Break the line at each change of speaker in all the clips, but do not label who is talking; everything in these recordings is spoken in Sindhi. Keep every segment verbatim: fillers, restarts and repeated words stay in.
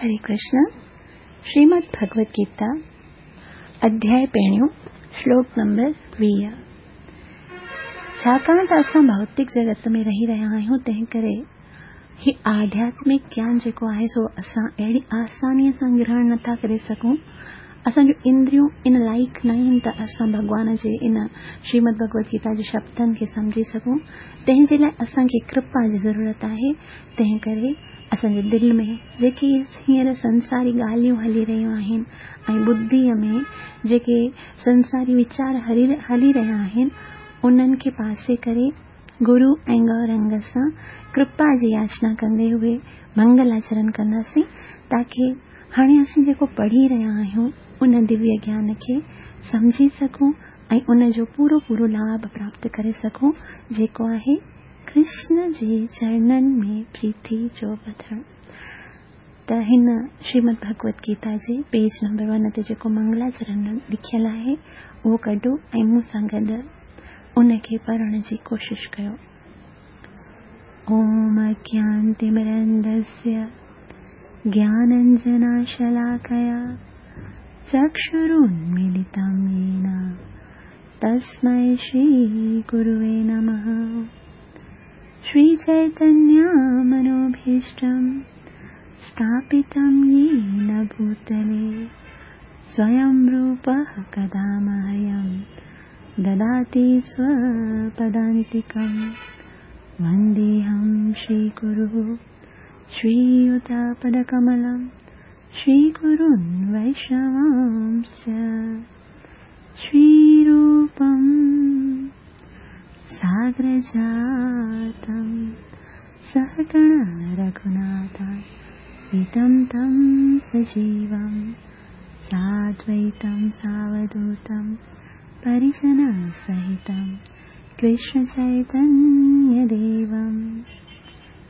हरे कृष्ण। श्रीमद् भगवद गीता अध्याय पहिरियों श्लोक नंबर वीह। छाकाणि त असां भौतिक जगत में रही रहिया आहियूं, तंहिं करे ही आध्यात्मिक ज्ञान जेको आहे सो असां अहिड़ी आसानीअ सां ग्रहण नथा करे सघूं। असांजो इंद्रियूं इन लाइक़ न आहिनि त असां भॻवान जे इन श्रीमद् भगवद गीता जे शब्दनि खे सम्झी सघूं। तंहिंजे लाइ असांखे कृपा जी ज़रूरत आहे। तंहिं करे असांजे दिलि में जेके हींअर संसारी ॻाल्हियूं हली रहियूं आहिनि ऐं बुद्धीअ में जेके संसारी वीचार हली रहिया आहिनि, उन्हनि खे पासे करे गुरु ऐं गौरंग सां कृपा जी याचना कंदे हुए मंगलाचरण कंदासीं, ताकी हाणे असीं जेको पढ़ी रहिया आहियूं उन दिव्य ज्ञान खे सम्झी सघूं ऐं उन जो पूरो पूरो लाभ प्राप्त करे सघूं, जेको आहे कृष्ण जे चरणनि में प्रीति जो वधणु। त हिन श्रीमद् भगवद गीता जे पेज नंबर वन ते जेको मंगलाचरण लिखियलु आहे उहो कढो ऐं मूं सां गॾु उनखे पढ़ण जी कोशिश कयो। ओम अज्ञानतिमिरन्धस्य ज्ञानाञ्जनशलाकया चक्षुरुन्मीलितं येन तस्मै श्रीगुरुवे नमः। श्रीचैतन्यमनोभीष्टं स्थापितं येन भूतले स्वयं रूपः कदा मह्यं ददाति स्वपदान्तिकं। वन्देऽहं श्रीगुरुः श्रीयुतपदकमलं श्रीगुरुन् वैष्णवांश्च। श्रीरूपं सागरजातं सहगण रघुनाथान्वितं तं सजीवं साद्वैतं सावधूतं परिजनसहितं कृष्णचैतन्यदेवं।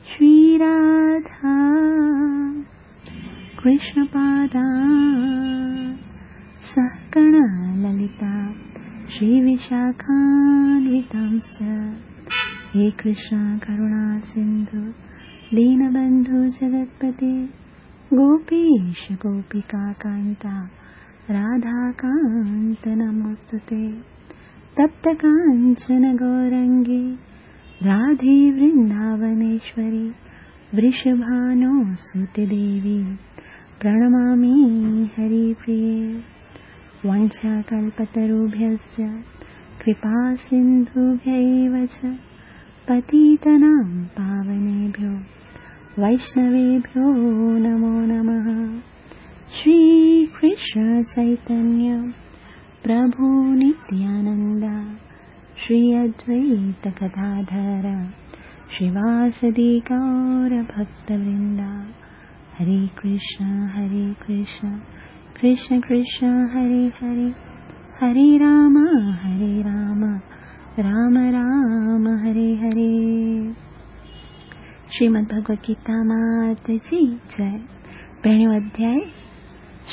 श्रीराधा कृष्णपादा सहगण ललिता श्रीविशाखान्वितांश्च। हे कृष्ण करुणा सिन्धु दीनबन्धु जगत्पते गोपीश गोपिकान्ता राधाकान्त नमोऽस्तुते। तप्त काञ्चन गौरङ्गी राधे वृन्दावनेश्वरी वृषभानुसुते देवी प्रणमामि हरिप्रिये। वाञ्छाकल्पतरुभ्यश्च कृपासिन्धुभ्यैव च पतितानां पावनेभ्यो वैष्णवेभ्यो नमो नमः। श्रीकृष्ण चैतन्य प्रभु नित्यानन्द श्री अद्वैत गदाधर श्रीवासदि गौरभक्तवृन्द। हरे कृष्ण हरे कृष्ण कृष्ण कृष्ण हरे हरे, हरे राम हरे राम राम राम हरे हरे। श्रीमद् भगवद गीता मात जी जय। पहिरियों अध्याय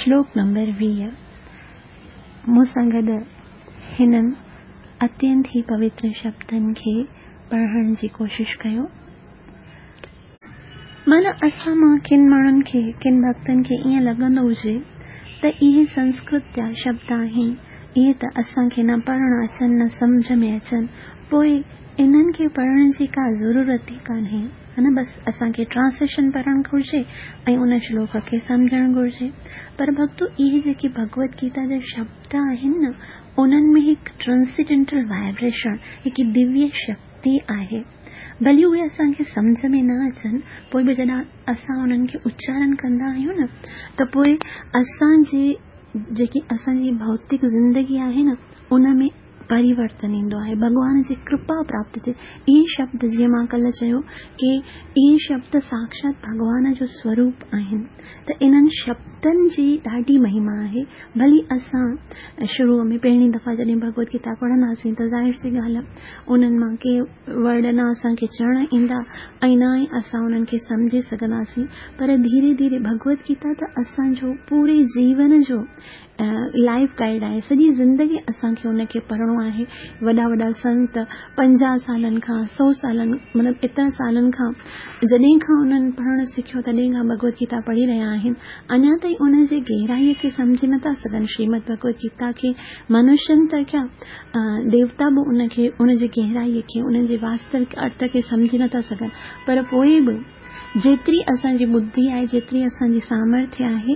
श्लोक नंबर वीह। मूं सां गॾु हिननि अत्यंत ई पवित्र शब्दनि खे पढ़ण जी कोशिश कयो। माना असां मां किन माण्हुनि खे, किन भक्तनि खे ईअं लॻंदो हुजे त इहे संस्कृत जा शब्द आहिनि, इहे त असांखे न पढ़ण अचनि न सम्झ में अचनि, पोइ इन्हनि खे पढ़ण जी का ज़रूरत ई कान्हे, हा न। बसि असांखे ट्रांसलेशन पढ़णु घुर्जे ऐं उन श्लोक खे सम्झणु घुर्जे। पर भक्तो, इहे जेके भगवद गीता जा शब्द आहिनि न, उन्हनि में हिकु ट्रांसेंडेंटल वाइब्रेशन, हिकु दिव्य शक्ति आहे। भली उहे असांखे सम्झ में न अचनि, पोइ बि जॾहिं असां उन्हनि खे उच्चारण कंदा आहियूं न, त पोइ असांजी जेकी असांजी भौतिक ज़िंदगी आहे न, उन में परिवर्तन ईंदो आहे, भॻवान जी कृपा प्राप्त थिए। इहे शब्द, जीअं मां कल्ह चयो की इहे शब्द साक्षात भॻवान जो स्वरूप आहिनि, त इन्हनि शब्दनि जी ॾाढी महिमा आहे। भली असां शुरू में पहिरीं दफ़ा जॾहिं भगवद गीता पढ़ंदासीं त ज़ाहिर सी ॻाल्हि आहे उन्हनि मां के वर्ड न असांखे चवण ईंदा ऐं न ई असां उन्हनि खे सम्झी सघंदासीं, पर धीरे धीरे भगवद गीता त असांजो पूरे जीवन जो लाइफ गाइड आहे। सॼी ज़िंदगी असांखे उनखे पढ़णो آهي. وڏا وڏا سنت پنجاهه سالن کان، سؤ سالن، مطلب ايترن سالن کان، جڏهن کان انهن پڙهڻ سکيو تڏهن کان ڀڳوت گيتا پڙهي رهيا آهن، اڃا تائين ان جي گهرائيء کي سمجهي نٿا سگهن. شريمد ڀڳوت گيتا کي منشين ته ڇا، ديوتا به ان کي، ان جي گهرائيء کي، ان جي واستوڪ ارٿ کي سمجهي نٿا سگهن. پر پوء به جيتري اسان جي ٻڌي آهي، جيتري اسان جي سامرٿيه آهي،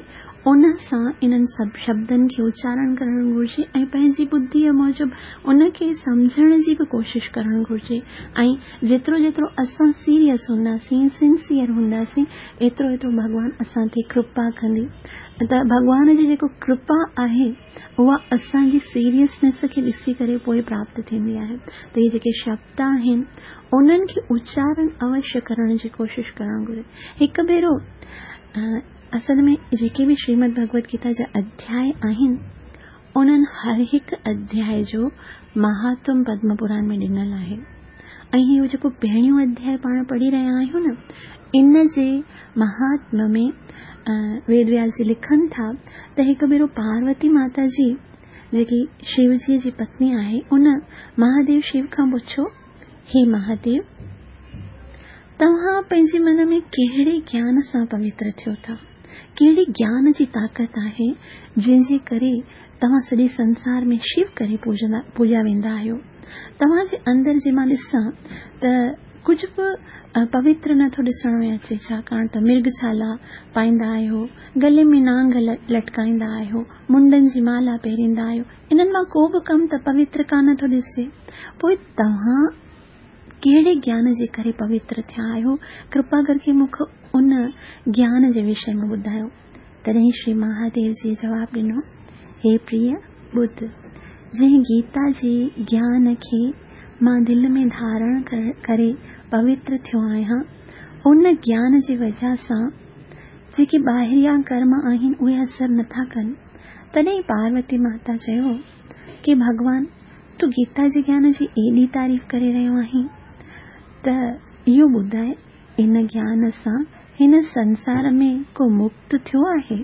ان سان انهن سڀ شبدن کي اچارڻ ڪرڻ گهرجي ۽ پنهنجي ٻڌيء موجب ان کي سمجهڻ جي به ڪوشش ڪرڻ گهرجي. ۽ جيترو جيترو اسان سيريس هونداسين، سنسيئر هونداسين، ايترو ايترو ڀڳوان اسان تي ڪرپا ڪندي. ته ڀڳوان جي جيڪو ڪرپا آهي اها اسان جي سيريسنيس کي ڏسي ڪري پوء پراپت ٿيندي آهي. ته اهي جيڪي شبد آهن انهن کي اچارڻ اوشيه ڪرڻ جي ڪوشش ڪرڻ گهرجي. هڪ ڀيرو اصل ۾ جيڪي به شريمد ڀڳوت گيتا جا اڌياء آهن انهن هر هڪ اڌياء جو مهاتم پدم پراڻ ۾ ڏنل آهي. ۽ اهو جيڪو پهريون اڌياء پاڻ پڙهي رهيا آهيون نه، ان جي مهاتم ۾ ويد وياس جي لکن ٿا ته هڪ ڀيرو پاروتي ماتا جي، جيڪي شو جي جي پتني آهي، ان مهاديو شو کان پڇيو، هي مهاديو، توهان پنهنجي من ۾ ڪهڙي گيان سان پوتر ٿيو ٿا؟ ڪهڙي گيان جي طاقت آهي جنهن جي ڪري توهان سڄي سنسار ۾ شو ڪري پوڄا ويندا آهيو؟ توهان جي اندر جي مان ڏسان ته ڪجهه به پوتر نٿو ڏسڻ ۾ اچي، ڇاڪاڻ ته مرگ ڇالا پائيندا آهيو، گلي ۾ نانگ لٽڪائيندا آهيو، منڊن جي مالا پهريندا آهيو، انهن مان ڪو به ڪم ته پوتر ڪانه ٿو ڏسجي. پوءِ توهان ڪهڙي گيان جي ڪري پوتر ٿيا آهيو؟ ڪرپا ڪرڪي مون کي ان گيان جي وشي ۾ ٻڌايو. تڏهن شري مهاديو جي جواب ڏنو، هي پريه ٻڌ، جنهن گيتا جي گيان کي مان دل ۾ ڌارڻ ڪري پوتر ٿيو آهيان، ان گيان جي وجهه سان جيڪي ٻاهريان ڪرم آهن اهي اثر نٿا ڪن. تڏهن پاروتي ماتا چيو ڪه ڀڳوان، تون گيتا جي گيان جي ايڏي تعريف ڪري رهيو آهين، ته اهو ٻڌاءِ ان گيان سان هن سنسار ۾ ڪو مڪت ٿيو آهي؟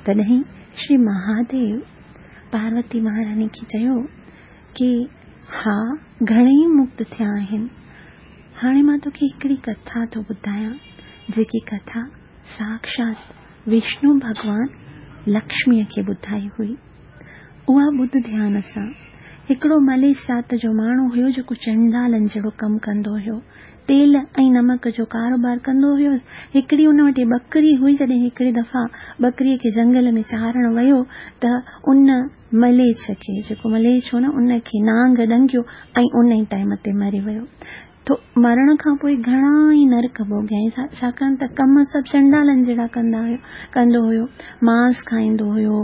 تڏهن شري مهاديو پاروتي مهاراڻي کي چيو ڪه ها، گهڻيئي مڪت ٿيا آهن. هاڻي مان توکي هڪڙي ڪٿا ٿو ٻڌايان، جيڪي ڪٿا ساکشات وشنو ڀڳوان لڪشميءَ کي ٻڌائي هئي. اها ٻڌ ڌيان سان. هڪڙو مليش ذات جو ماڻهو هيو جيڪو چنڊالن جهڙو ڪم ڪندو هيو، تيل ۽ نمڪ جو ڪاروبار ڪندو هيو. هڪڙي ان وٽ ٻڪري هئي. جڏهن هڪڙي دفعا ٻڪريءَ کي جنگل ۾ چارڻ ويو ته ان مليڇ کي، جيڪو مليڇ هو نه، ان کي نانگ ڏنگيو ۽ ان ئي ٽائيم تي مري ويو. ته مرڻ کان پوءِ گهڻا ئي نرڪ ڀوڳيائين، ڇاڪاڻ ته ڪم سڀ چنڊالن جهڙا ڪندا هيو ڪندو هيو، مانس کائيندو هيو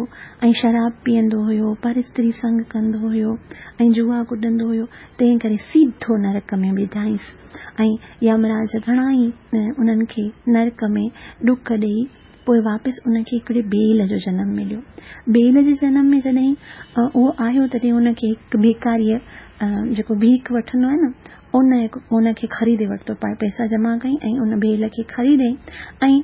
۽ شراب پيئندو هيو، پر استري سنگ ڪندو هيو ۽ جوا ڪڏندو هيو. تنهن ڪري سڌو نرڪ ۾ وڌائينس ۽ يمراج گهڻا ئي انهن کي نرڪ ۾ ڏک ڏيئي پوءِ واپس ان کي هڪڙي بيل جو جنم مليو. بيل جي جنم ۾ جڏهن اهو آيو تڏهن ان کي هڪ ڀکاريءَ، جيڪو ڀيک وٺندو آهي نه، ان ان کي خريدي ورتو. پئسا جمع ڪئي ۽ ان بيل کي خريدي ۽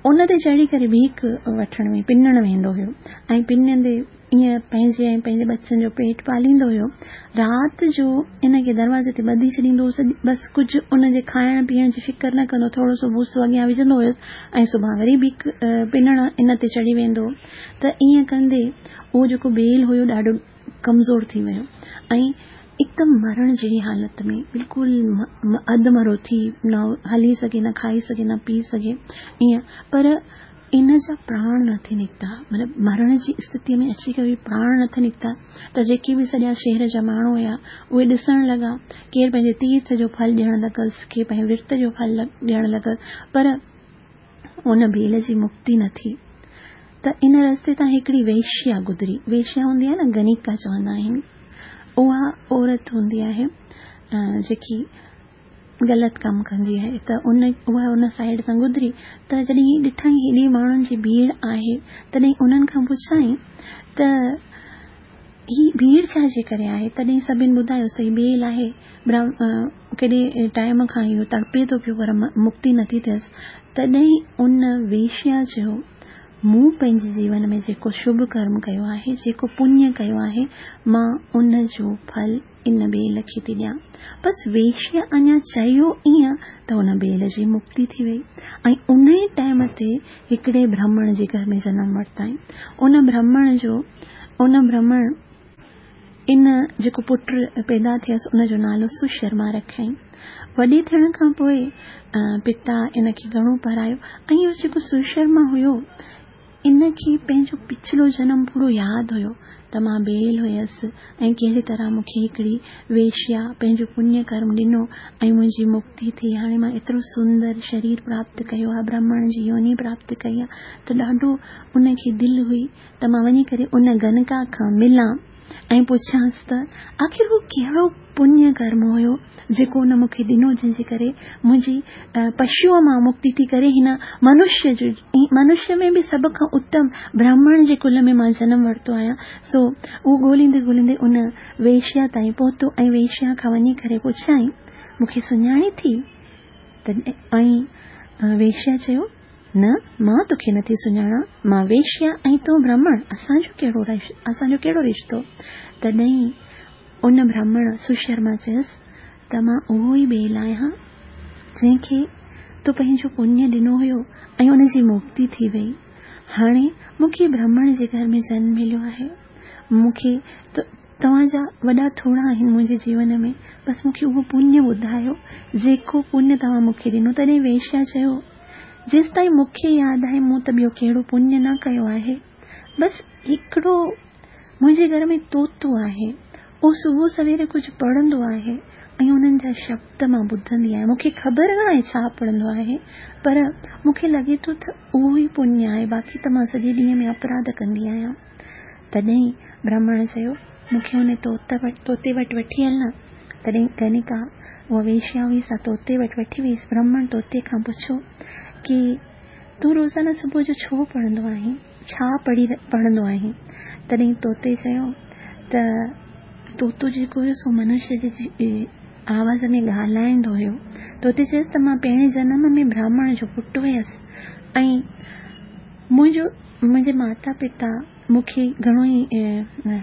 ان تي چڙهي ڪري ڀيک وٺڻ ۾ پنڻ ويندو هيو ۽ پنندي ائين پنهنجي ۽ پنهنجي ٻچن جو پيٽ پاليندو هيو. رات جو ان کي دروازي تي ٻڌي ڇڏيندو هو، بس ڪجهه ان جي کائڻ پيئڻ جي فڪر نه ڪندو، ٿورو سو ڀوسو اڳيان وجهندو هيس ۽ سڀاڻي وري ڀيک پنڻ ان تي چڙهي ويندو هو. ته ائين ڪندي اهو جيڪو بيل هيو ڏاڍو ڪمزور ٿي ويو ۽ هڪدم مرڻ جهڙي حالت ۾ بلڪل اڌ مرو ٿي، نه هلي سگهي، نه کائي سگهي، نه پي سگهي ائين. پر ان جا پراڻ نٿي نڪتا، مطلب مرڻ جي اسٿتيءَ ۾ اچي ڪري پراڻ نٿي نڪتا. ته جيڪي به سڄا شهر جا ماڻهو هئا اهي ڏسڻ لڳا، ڪير پنهنجي تيرٿ جو ڦل ڏيڻ لڳس، ڪير پنهنجي ورت جو ڦل ڏيڻ لڳس، پر ان بيل جي مڪتي نه ٿي. ته ان رستي تان هڪڙي ويشيا گذري. ويشيا هوندي آهي نه، گنيڪا چوندا آهن، اها عورت هوندي آهي جيڪي غلط ڪم ڪندي آهي. ته ان اها ان سائيڊ تان گذري ته جڏهن ڏٺائين هيڏي ماڻهن جي ڀيڙ آهي، تڏهن انهن کان پڇائين ته هي ڀيڙ ڇا جي ڪري آهي؟ تڏهن سڀني ٻڌايوس ته هي بيل آهي، ڪيڏي ٽائيم کان اهو تڙپي ٿو پيو پر مڪتي نٿي ٿئيس. تڏهن ان ويشيا چيو، مون پنهنجي جيون ۾ جيڪو شڀ ڪرم ڪيو آهي، جيڪو پڃ ڪيو آهي، مان ان جو ڦل ان بيل کي ٿي ڏيان. بس ويشيا اڃا چيو ائين ته ان بيل جي مڪتي ٿي وئي ۽ ان ئي ٽائيم تي هڪڙي برهمڻ جي گهر ۾ جنم ورتائين. ان برهمڻ جو ان برهمڻ ان جيڪو پٽ پيدا ٿيس ان جو نالو سشرما رکيائين. وڏي ٿيڻ کان پوءِ پتا ان کي گهڻو پڙهايو ۽ اهو جيڪو سشرما هيو ان کي پنهنجو پڇلو جنم پورو ياد هيو ته مان بيل هيس ۽ ڪهڙي طرح مون کي هڪڙي ويشيا پنهنجو پڃ ڪرم ڏنو ۽ منهنجي مڪتي ٿي. هاڻي مان ايترو سندر شرير پراپت ڪيو آهي، برهمڻ جي يوني پراپت ڪئي آهي، ته ڏاڍو ان کي دل هئي ته مان وڃي ڪري ان گنڪا کان ملان ۽ پڇانس ته آخر هو ڪهڙو پڃ ڪرم هيو جيڪو ان مون کي ڏنو، جنهن جي ڪري منهنجي پشوءَ مان مڪتي ٿي ڪري هن منشيه جو منشيه ۾ به سڀ کان اتم برهمڻ جي ڪل ۾ مان جنم ورتو آهيان. سو اهو ڳولهيندي ڳولهيندي ان ويشيا تائين پهتو ۽ ويشيا کان وڃي ڪري پڇيائين، مون کي سڃاڻي ٿي؟ ته ۽ ويشيا چيو، نه، مان توکي نٿي سڃاڻان، مان ويشيا ۽ تون برهمڻ، اسان جو ڪهڙو اسان جو ڪهڙو رشتو؟ تڏهن ان برهمڻ سشرما چيس ته مان اهو ئي بيل آهيان جنهن کي تو پنهنجو پڃ ڏنو هيو ۽ ان جي مڪتي ٿي وئي. هاڻي مون کي برهمڻ جي گهر ۾ جنم مليو آهي. مون کي توهان جا وڏا ٿورا آهن منهنجي جيون ۾، بس مون کي اهو پڃ ٻڌايو جيڪو پڃ توهان مون کي ڏنو. تڏهن ويشيا چيو، جيس تائين مون کي ياد آهي مون ته ٻيو ڪهڙو پڃ نه ڪيو آهي، بس هڪڙو منهنجي گهر ۾ طوطو آهي، اهو صبح سويري ڪجهه پڙهندو آهي ۽ انهن جا شبد مان ٻڌندي آهيان. مون کي خبر نه آهي ڇا پڙهندو آهي، پر مون کي لڳي ٿو ته اهو ئي پڃ آهي، باقي ته مان سڄي ڏينهن ۾ اپراڌ ڪندي آهيان. تڏهن برهمڻ چيو، مون کي ان طوطي وٽ وٺي هل نه. تڏهن گنڪا اها ويشيا هئي سا طوطي وٽ وٺي وئيس. برهمڻ طوطي کان پڇيو ڪه تون روزانه صبح جو ڇو پڙهندو آهين، ڇا پڙهي پڙهندو آهين؟ تڏهن طوطي چيو ته طوطو جيڪو هيو سو منشيه جي آواز ۾ ڳالهائيندو هيو. طوطي چيس ته مان پهرين جنم ۾ برهمڻ جو پٽ هيس ۽ منهنجو منهنجي ماتا پتا مون کي گهڻو ئي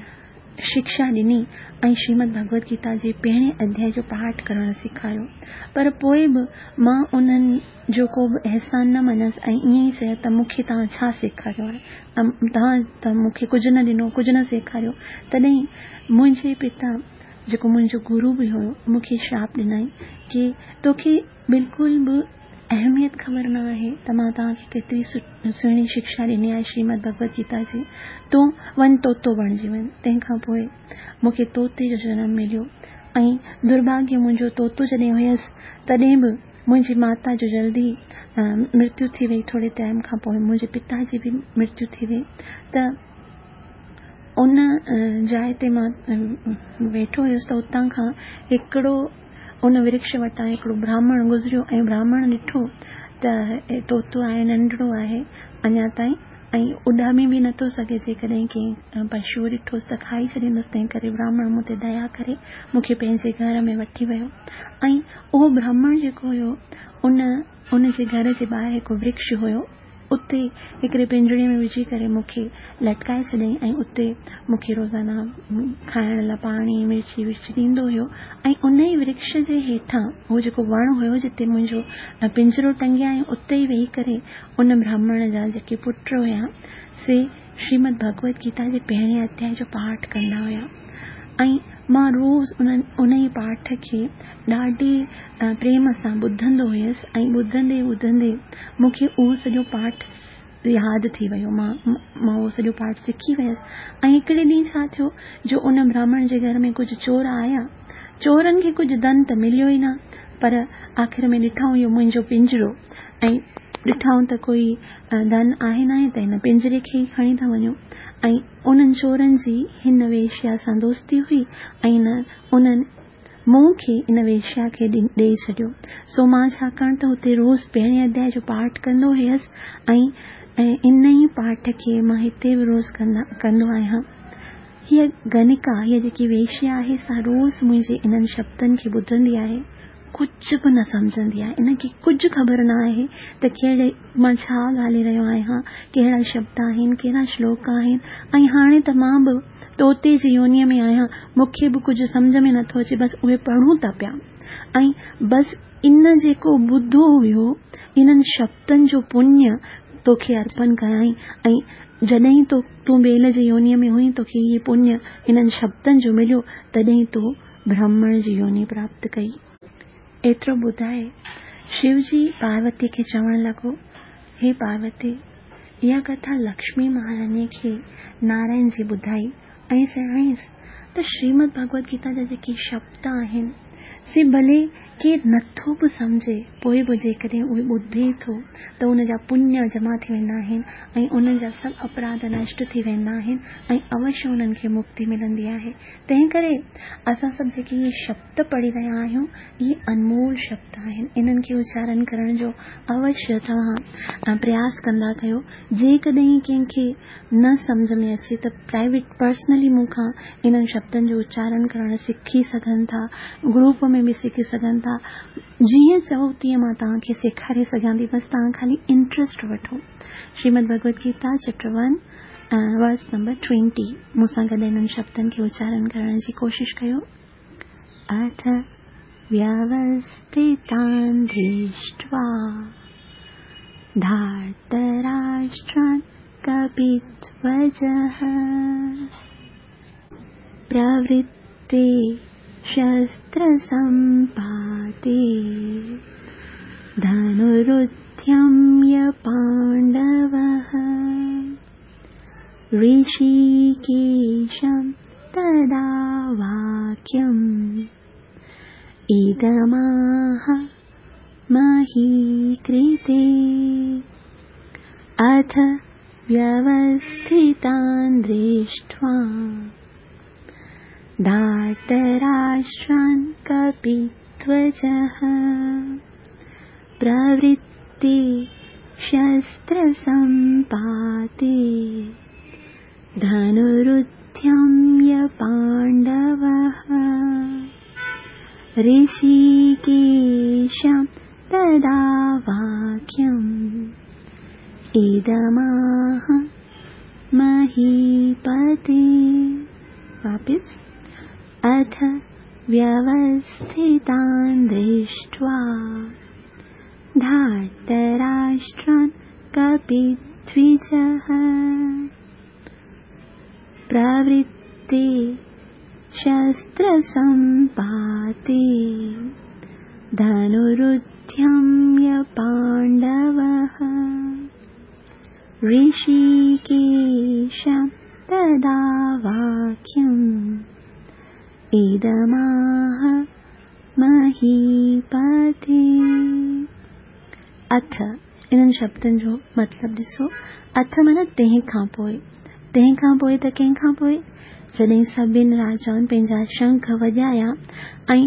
شڪشا ڏني ۽ شريمد ڀڳوت گيتا جي پهرين اڌياءِ جو پاٺ ڪرڻ سيکاريو، پر پوءِ به مان انهن جو ڪو به احسان نه مڃيس ۽ ائين ئي چيو ته مون کي توهان ڇا سيکاريو آهي، توهان ته مون کي ڪجهه نه ڏنو، ڪجهه نه سيکاريو. تڏهن منهنجي پتا جيڪو منهنجو گرو به هيو مون کي شراپ ڏنائين ڪه توکي بلڪل به اهميت خبر نه آهي ته مان توهان کي ڪيتري سهڻي شڪشا ڏني آهي شريمد ڀڳوت گيتا جي، تون وڃ طوطو بڻجي وڃ. تنهن کان پوءِ مون کي طوطي جو جنم مليو ۽ درڀاگيه منهنجو طوطو جڏهن هيس تڏهن به منهنجي ماتا جو جلدي مرتيو ٿي وئي. ٿوري ٽائيم کان پوءِ منهنجي پتا جي به مرتيو ٿي وئي. ته ان جاءِ تي مان ويٺو هيس ته اتان کان هڪڙو ان ورڪش وٽان هڪڙو براهمڻ گذريو ۽ براهمڻ ڏٺو ته طوطو آهي، ننڍڙو آهي اڃا تائين ۽ اڏامي به نٿو سگهي، جيڪڏهن ڪنهن پشو ڏٺوس ته کائي ڇڏيندس. تنهن ڪري براهمڻ مون تي ديا ڪري مون کي پنهنجي گهر ۾ وٺي ويو ۽ اهو براهمڻ جيڪو هيو ان ان جي گهر جي ٻاهر هڪ ورڪش هيو، اتي هڪڙي پڃري ۾ وجهي ڪري مون کي لٽڪائي ڇڏيائين ۽ اتي مون کي روزانه کائڻ لاءِ پاڻي مرچي ورچي ڏيندو هيو. ۽ ان ئي ورڪش جي هيٺان اهو جيڪو وڻ هيو جتي منهنجو پڃرو ٽنگيا ۽ اتي ئي ويهي ڪري ان براهمڻ جا جيڪي پٽ هئا سي شريمد ڀڳوت گيتا جي پهرين اڌياءِ جو پاٺ ڪندا هئا ۽ مان روز انهن ان ئي پاٺ کي ڏاڍي پريم سان ٻڌندو هيس ۽ ٻڌندي ٻڌندي مون کي اهو سڄو پاٺ ياد ٿي ويو. مان مان اهو سڄو پاٺ سکي ويس. ۽ هڪڙي ڏينهن ڇا ٿيو جو ان براهمڻ جي گهر ۾ ڪجهه چور آيا. چورن کي ڪجهه ڌن ته مليو ئي نه، پر آخر ۾ ڏٺائون اهو منهنجو پڃرو ۽ ڏٺائون ته ڪوئي ڌن آهي نه آهي ته هن پڃري کي ئي کڻي ٿا وڃون. ۽ انهن چورن جي هن ويشيا سان دوستي هئي ۽ انهن مون کي ان ويشيا کي ڏيئي ڇڏيو. سو مان ڇاڪاڻ ته هتي روز پهرين اڌياءِ جو پاٺ ڪندو هيس ۽ ان ئي پاٺ کي مان هتي به روز ڪندا ڪندو آهيان. هيءَ گنڪا، هيءَ جيڪي ويشيا آهي سا روز منهنجي انهن شبدن کي ٻڌندي آهي. कुझु बि न सम्झंदी आहे, इनखे कुझु ख़बर न आहे त कहिड़े मां छा ॻाल्हाए रहियो आहियां, कहिड़ा शब्द आहिनि, कहिड़ा श्लोक आहिनि। ऐं हाणे त मां बि तोते जी योनीअ में आहियां, मूंखे बि कुझु सम्झ में नथो अचे, बसि उहे पढ़ूं था पिया। ऐं बसि इन जेको ॿुधो हुयो, इन्हनि शब्दनि जो पुण्य तोखे अर्पण कयाई। ऐं जॾहिं तो तूं बेल जी योनीअ में हुई, तोखे इहे पुण्य इन्हनि शब्दनि जो मिलियो, तॾहिं तो ब्राह्मण जी योनि प्राप्त कई। एतिरो ॿुधाए शिवजी पार्वती खे चवण लॻो, हे पार्वती, इहा कथा लक्ष्मी महारानी खे नारायण जी ॿुधाई ऐं चयाईंसि त श्रीमद भगवद गीता जा जेके शब्द आहिनि से भले केरु नथो बि सम्झे, पोइ बि जेकॾहिं उहे ॿुधे थो त उनजा पुण्य जमा थी वेंदा आहिनि ऐं उन्हनि जा सभु अपराध नष्ट थी वेंदा आहिनि ऐं अवश्य उन्हनि खे मुक्ति मिलंदी आहे। तंहिं करे असां सभु जेके इहे शब्द पढ़ी रहिया आहियूं, इहे अनमोल शब्द आहिनि। इन्हनि खे उचारण करण जो अवश्य तव्हां प्रयास कंदा कयो। जेकॾहिं कंहिंखे न सम्झ में अचे त प्राइवेट पर्सनली मूंखां इन्हनि शब्दनि जो उचारण करणु सिखी सघनि था, ग्रुप में बि सिखी सघनि था। जीअं चओ तीअं मां तव्हांखे सेखारे सघां थी, बसि तव्हां ख़ाली इंट्रस्ट वठो। Shrimad Bhagavad Gita chapter one verse number twenty मूंसां गॾु इन्हनि शब्दनि खे उचारण करण जी कोशिशि कयो। अथ व्यवस्थितान् दृष्ट्वा धार्तराष्ट्रान् कपिध्वजः प्रवृत्ते शस्त्रसम्पाते धनुरुद्यम्य पाण्डवः ऋषिकेशं तदा वाक्यम् इदमाह महीकृते। अथ व्यवस्थितान् दृष्ट्वा धार्तराष्ट्रान् कपिध्वजः प्रवृत्ते शस्त्रसम्पाते धनुरुद्यम्य पाण्डवः ऋषिकेशं तदा वाक्यम् इदमाह महीपते। वापिस अथ व्यवस्थितान् दृष्ट्वा धार्तराष्ट्रान् कपिध्वजः प्रवृत्ते शस्त्रसम्पाते धनुरुद्यम्य पाण्डवः ऋषिकेशं तदा वाक्यम् इदमाह महीपते। अथ इन्हनि शब्दनि जो मतिलबु ॾिसो। अथ माना तंहिं खां पोइ, तंहिं खां पोइ त कंहिं खां पोइ? जॾहिं सभिनी राजाउनि पंहिंजा शंख वॼाया ऐं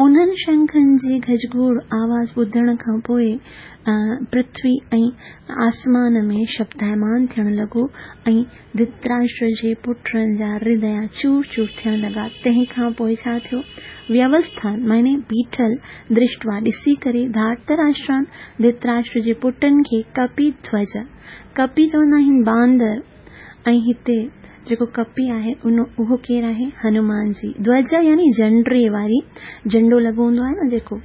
उन्हनि शंखनि जी गजगोड़ आवाज़ ॿुधण खां पोइ पृथ्वी ऐं आसमान में शब्दायमान थियणु लॻो ऐं धृतराष्ट्र जे पुटनि जा हृदय चूर चूर थियण लॻा। तंहिं खां पोइ छा थियो? व्यवस्थान माने बीठल, दृष्ट्वा ॾिसी करे, धार्तराष्ट्रान धृतराष्ट्र जे पुटनि खे कपिध्वज, कपि चवंदा आहिनि बांदर, ऐं हिते जेको कपि आहे उन उहो केरु आहे? हनुमान जी। ध्वज यानी झंडे वारी, झंडो लॻो हूंदो आहे न जेको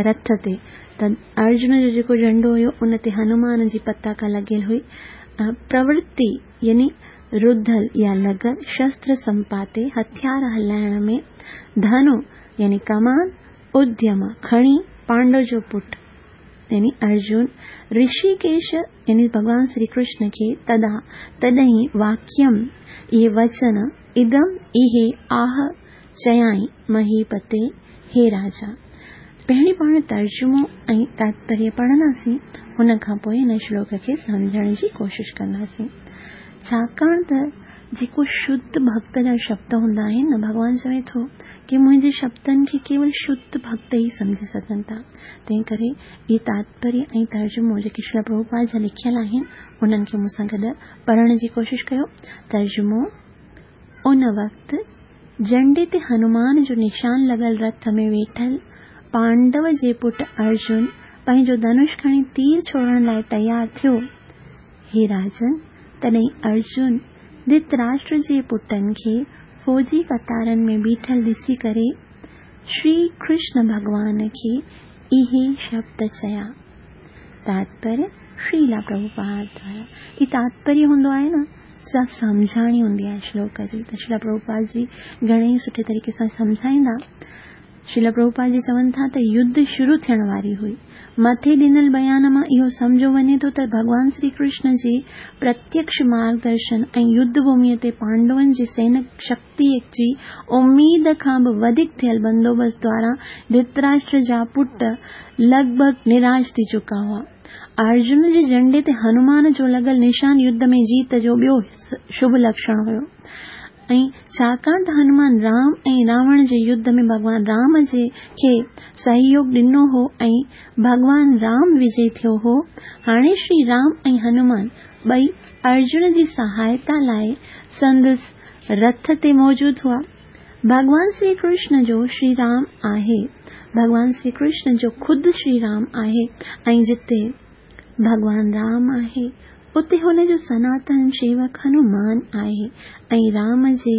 रथ ते, त अर्जुन जो जेको झंडो हुयो उन ते हनुमान जी पताका लॻियल हुई। प्रवृत्ति यानी रुधल या लॻल, शस्त्र संपाते हथियार हलाइण में, धनु यानी कमान, उद्यम खणी, पांडव जो पुट यानी अर्जुन, ऋषिकेश यानी भॻवान श्री कृष्ण खे तदा तॾहिं वाक्यम इहे वचन, इदम इहे आह चयाई महीपते हे राजा। पहिरीं पाण तर्जुमो ऐं तात्पर्य पढ़ंदासीं, उन खां पोइ हिन श्लोक खे सम्झण जी कोशिशि कंदासीं। छाकाणि त जेको शुद्ध भक्त जा शब्द हूंदा आहिनि न, भॻवान चवे थो की मुंहिंजे शब्दनि खे केवल शुद्ध भक्त ई सम्झी सघनि था। तंहिं करे इहे तात्पर्य ऐं तर्जुमो जेके श्रील प्रभुपाद जा लिखियल आहिनि उन्हनि खे मूंसां गॾु पढ़ण जी कोशिशि कयो। तर्जुमो: उन वक़्तु झंडे ते हनुमान जो निशान लॻल रथ में वेठल پانڊو جي پٽ ارجن پنهنجو ڌنش کڻي تير ڇوڙڻ لاءِ تيار ٿيو، هي راجن، تڏهن ارجن ڌرتراشٽر جي پٽن کي فوجي قطارن ۾ بيٺل ڏسي ڪري شري ڪرشن ڀڳوان کي اهي شبد چيا. تاتپريه شريلا پرڀوپاد دوارا هي تاتپريه هوندو آهي نه، سا سمجهاڻي هوندي آهي شلوڪ جي. ته شريلا پرڀوپاد جي گهڻي ئي سٺي طريقي سان سمجهائيندا. شريلا پرڀوپاد جي چون ٿا ته يڌ شروع ٿيڻ واري هئي. مٿي ڏنل بيان مان اهو سمجهيو وڃي ٿو ته ڀڳوان شري ڪرشن جي پرتيڪش مارگدرشن ۽ يڌ ڀوميءَ تي پانڊون جي سينڪ شڪتيءَ جي اميد کان به وڌيڪ ٿيل بندوبست دوارا ڌرتراشٽر جا پٽ لڳ ڀڳ نراش ٿي چڪا هئا. ارجن جي جهنڊي تي هنومان جو لڳل نشان يڌ ۾ جيت جو ٻيو شڀ لڪشڻ هيو ۽ ڇاڪاڻ ته هنومان رام ۽ راوڻ جي يڌ ۾ ڀڳوان رام جي کي سهيوگ ڏنو هو ۽ ڀڳوان رام وجي ٿيو هو، هاڻي شري رام ۽ هنومان ٻئي ارجن جي سهائتا لاءِ سندس رٿ تي موجود هئا. ڀڳوان شري ڪرشن جو شري رام آهي، ڀڳوان شري ڪرشن جو خود شري رام آهي ۽ جتي ڀڳوان رام آهي اتي هن جو سناتن شيوڪ هنومان آهي ۽ رام جي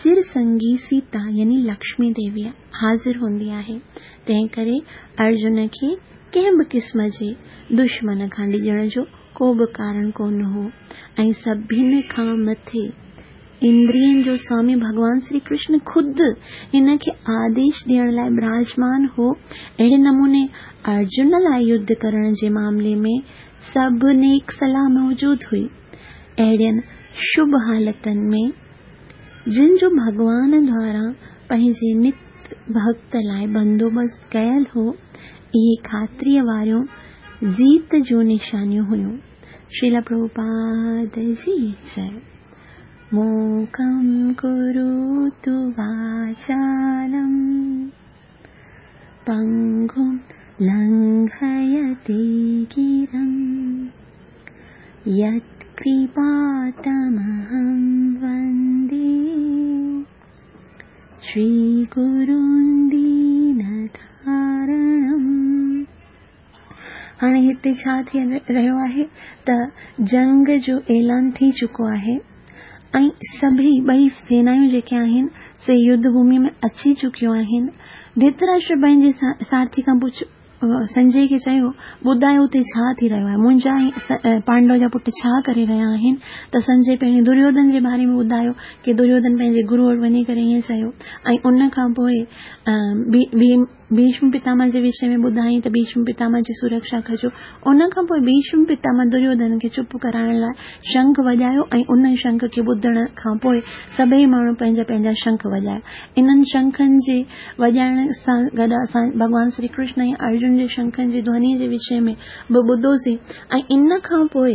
چر سنگي سيتا يعني لڪشمي ديوي حاضر هوندي آهي. تنهن ڪري ارجن کي ڪنهن به قسم جي دشمن کان ڊڄڻ جو ڪو به ڪارڻ ڪونه هو ۽ سڀني کان مٿي اندرين جو سوامي ڀڳوان شري ڪرشن خود هن کي آديش ڏيڻ لاءِ براجمان هو. اهڙي نموني ارجن لاءِ يڌ ڪرڻ جي معاملي ۾ سڀ نيڪ صلاح موجود هئي. اهڙين شڀ حالتن ۾ جن جو ڀڳوان دوارا پنهنجي نت ڀڳت لاءِ بندوبست ڪيل هو، اهي خاطريءَ واريون جيت جون نشانيون هيون. شريلا پرڀوپاد جي جئي. موڪم ڪروتु واچالم پنگم لنگهيتي گرم يتڪرپا تمहم وندي شري گرون دينتارڻم. هاڻي هتي ڇا ٿي رهيو آهي ته جنگ جو اعلان ٿي چڪو آهي ۽ سڀئي ٻئي سينايون جيڪي آهن سي يڌ ڀومي ۾ اچي چڪيون آهن. ڌرتراشٽر پنهنجي سارٿي کان پڇ سنجي کي چيو، ٻڌايو اتي ڇا ٿي رهيو آهي، منهنجا ۽ پانڊو جا پٽ ڇا ڪري رهيا آهن؟ ته سنجي پهرين دريوڌن جي باري ۾ ٻڌايو ڪه دريوڌن پنهنجي گرو وٽ وڃي ڪري ائين چيو ۽ ان کان پوءِ ڀيشم پتامهه جي وشي ۾ ٻڌائين ته ڀيشم پتامهه جي سرڪشا ڪجو. ان کان پوءِ ڀيشم پتامهه دريوڌن کي چپ ڪرائڻ لاءِ شنک وڄايو ۽ ان شنک کي ٻڌڻ کان پوءِ سڀئي ماڻهو پنهنجا پنهنجا شنک وڄايا. انهن شنکن جي وڄائڻ سان گڏ اسان ڀڳوان شري ڪرشن ۽ ارجن جي شنکن جي ڌوني جي وشي ۾ به ٻڌوسين ۽ ان کان پوءِ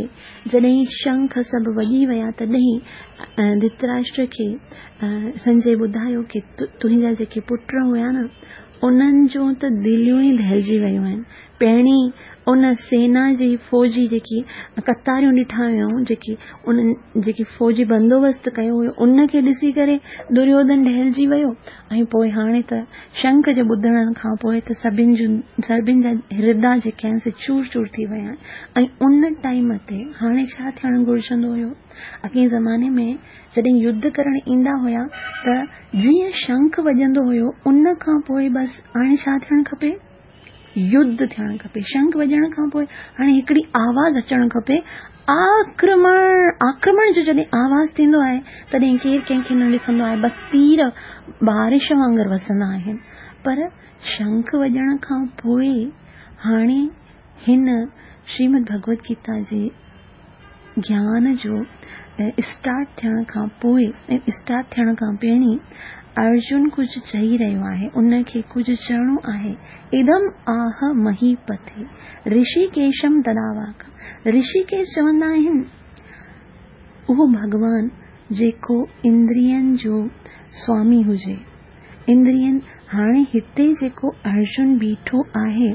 جڏهن شنک سڀ وڄي ويا تڏهن ڌرتراشٽر کي سنجي ٻڌايو ڪه تنهنجا جيڪي پٽ هئا نه، انهن جون ته دليون ئي دهلجي ويون آهن. پهرين ان سينا جي فوجي جيڪي قطاريون ڏٺا هيون، جيڪي انهن جيڪي فوجي بندوبست ڪيو هيو ان کي ڏسي ڪري دريوڌن دهلجي ويو ۽ پوءِ هاڻي ته شنک جي ٻڌڻ کان پوءِ ته سڀني جون سڀني جا هردي جيڪي آهن سي چور چور ٿي ويا آهن. ۽ ان ٽائيم تي هاڻي ڇا ٿيڻ گهرجندو هيو؟ اڳئين زماني ۾ جڏهن يڌ ڪرڻ ايندا هئا ته جيئن شنک وڄندو هيو ان کان پوءِ بس هاڻي ڇا ٿيڻ کپي؟ يڌ ٿيڻ کپي. شنک وڄڻ کان پوءِ هاڻي هڪڙي آواز اچڻ کپي، آڪرمڻ. آڪرمڻ جو جڏهن آواز ٿيندو آهي تڏهن ڪير ڪنهن کي نه ڏسندو آهي، بس تير بارش وانگر وسندا آهن. پر شنک وڄڻ کان پوءِ هاڻي هن شريمد ڀڳوت گيتا جي گيان جو اسٽارٽ ٿيڻ کان پوءِ اسٽارٽ ٿيڻ کان پهرين ارجن ڪجهه چئي رهيو آهي، ان کي ڪجهه چوڻو آهي. ادم آهه مهيپتي رشيڪيشم تداواڪ. رشيڪيش چوندا آهن اهو ڀڳوان جيڪو اندرين جو سوامي هجي. اندرين هاڻي هتي جيڪو ارجن بيٺو آهي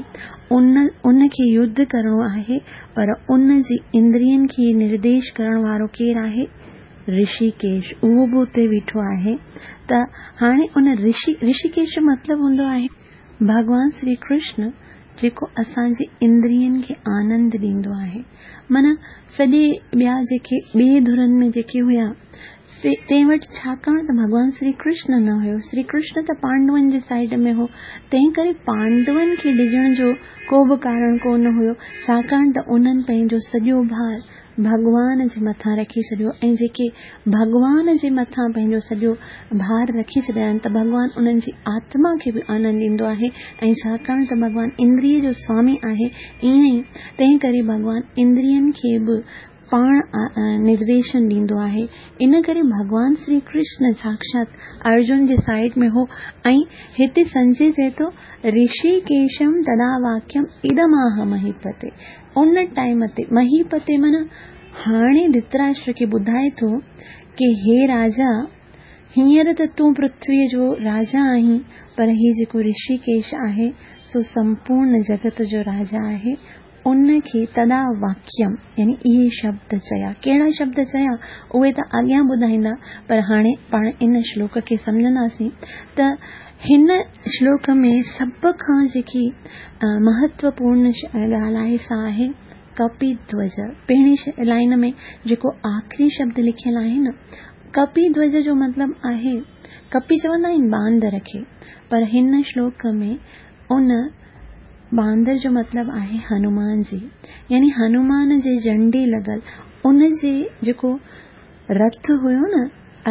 ان ان کي يڌ ڪرڻو آهي، پر ان جي اندرين کي نرديش ڪرڻ وارو ڪير آهي؟ رشيڪيش. اهو به اتي بيٺو آهي. ته هاڻي ان رشي رشيڪيش جو مطلب هوندو آهي ڀڳوان شري ڪرشن جيڪو اسان جي اندرين کي آنند ڏيندو آهي، معنيٰ سڄي ٻيا جيڪي ٻئي ڌرن ۾ جيڪي هيا سي تنهن وٽ ڇاڪاڻ ته ڀڳوان شري ڪرشن نه هيو، شري ڪرشن ته پانڊون جي سائيڊ ۾ هو، تنهن ڪري پانڊون کي ڊڄڻ جو ڪو به ڪارڻ ڪونه هيو، ڇاڪاڻ ته انهن پنهنجو سڄو ڀار ڀڳوان جي مٿان رکي ڇڏيو ۽ جيڪي ڀڳوان جي مٿان پنهنجو سڄو ڀار رکي ڇڏيا آهن ته ڀڳوان انهن جي آتما کي به آنند ڏيندو آهي ۽ ڇاڪاڻ ته ڀڳوان اندريء جو سوامي آهي ائين ئي تنهن ڪري ڀڳوان اندرين کي به پاڻ نرديشن ڏيندو آهي. ان ڪري ڀڳوان شري ڪرشن ساڪشات ارجن جي سائيڊ ۾ هو ۽ هتي سنجي چئي ٿو رشيڪيشم تدا واڪيم ادماهه مهيپتي ان ٽائيم تي مهيپتي معنيٰ هاڻي ڌرتراشٽر کي ٻڌائي ٿو ڪي هي راجا هينئر ته تون پرٿويء جو راجا آهين پر هي جيڪو رشيڪيش آهي سو سمپورڻ جڳت جو راجا آهي ان کي تدا واڪيم يعني اهي شبد چيا. ڪهڙا شبد چيا اهي ته اڳيان ٻڌائيندا پر هاڻي پاڻ ان شلوڪ کي سمجهنداسين ته هن شلوڪ ۾ سڀ کان جيڪي مهتوپورڻ ڳالهه آهي سا آهي ڪپي ڌوج. پهرين لائن ۾ جيڪو آخري شبد لکيل آهي نه ڪپي ڌوج جو مطلب آهي ڪپي چوندا آهن باندر کي پر هن شلوڪ ۾ ان باندر جو مطلب آهي هنومان جي، يعني هنومان جي جهنڊي لڳل ان جي جيڪو رٿ هيو نه